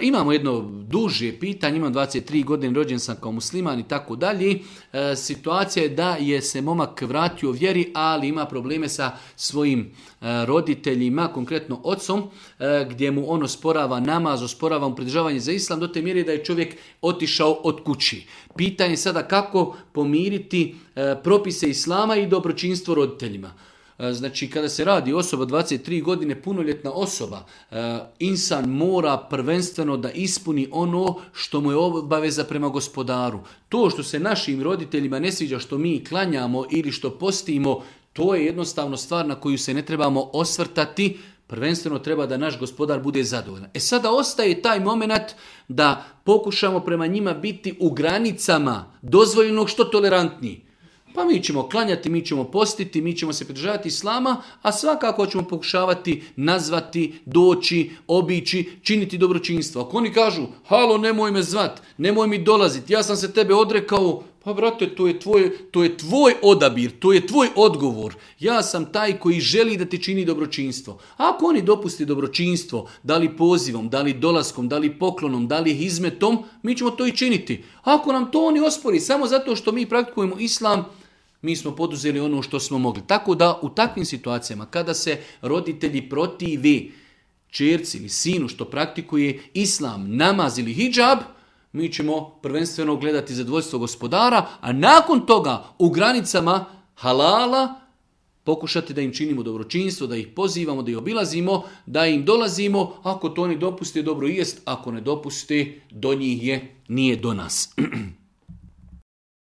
Imamo jedno duže pitanje, imam 23 godine, rođen sam kao musliman i tako dalje. Situacija je da je se momak vratio vjeri, ali ima probleme sa svojim roditeljima, konkretno ocom, gdje mu on osporava namaz, osporava mu pridržavanje za islam, do te mjere da je čovjek otišao od kući. Pitanje je sada kako pomiriti propise islama i dobročinstvo roditeljima. Znači, kada se radi osoba 23 godine, punoljetna osoba, insan mora prvenstveno da ispuni ono što mu je obaveza prema gospodaru. To što se našim roditeljima ne sviđa što mi klanjamo ili što postimo, to je jednostavno stvar na koju se ne trebamo osvrtati. Prvenstveno treba da naš gospodar bude zadovoljan. Sada ostaje taj moment da pokušamo prema njima biti u granicama dozvoljenog što tolerantniji. Pa mi ćemo klanjati, mi ćemo postiti, mi ćemo se pridržavati islama, a svakako ćemo pokušavati nazvati, doći, obići, činiti dobročinstvo. Ako oni kažu, halo, nemoj me zvat, nemoj mi dolaziti, ja sam se tebe odrekao, pa brate, to je tvoj odabir, to je tvoj odgovor. Ja sam taj koji želi da ti čini dobročinstvo. Ako oni dopusti dobročinstvo, da li pozivom, da li dolaskom, da li poklonom, da li hizmetom, mi ćemo to i činiti. Ako nam to oni ospori, samo zato što mi praktikujemo islam, mi smo poduzeli ono što smo mogli. Tako da u takvim situacijama, kada se roditelji protivi ćerci ili sinu što praktikuje islam, namaz ili hidžab, mi ćemo prvenstveno gledati zadovoljstvo gospodara, a nakon toga u granicama halala pokušati da im činimo dobročinstvo, da ih pozivamo, da ih obilazimo, da im dolazimo. Ako to oni dopuste, dobro jest. Ako ne dopuste, do njih je, nije do nas.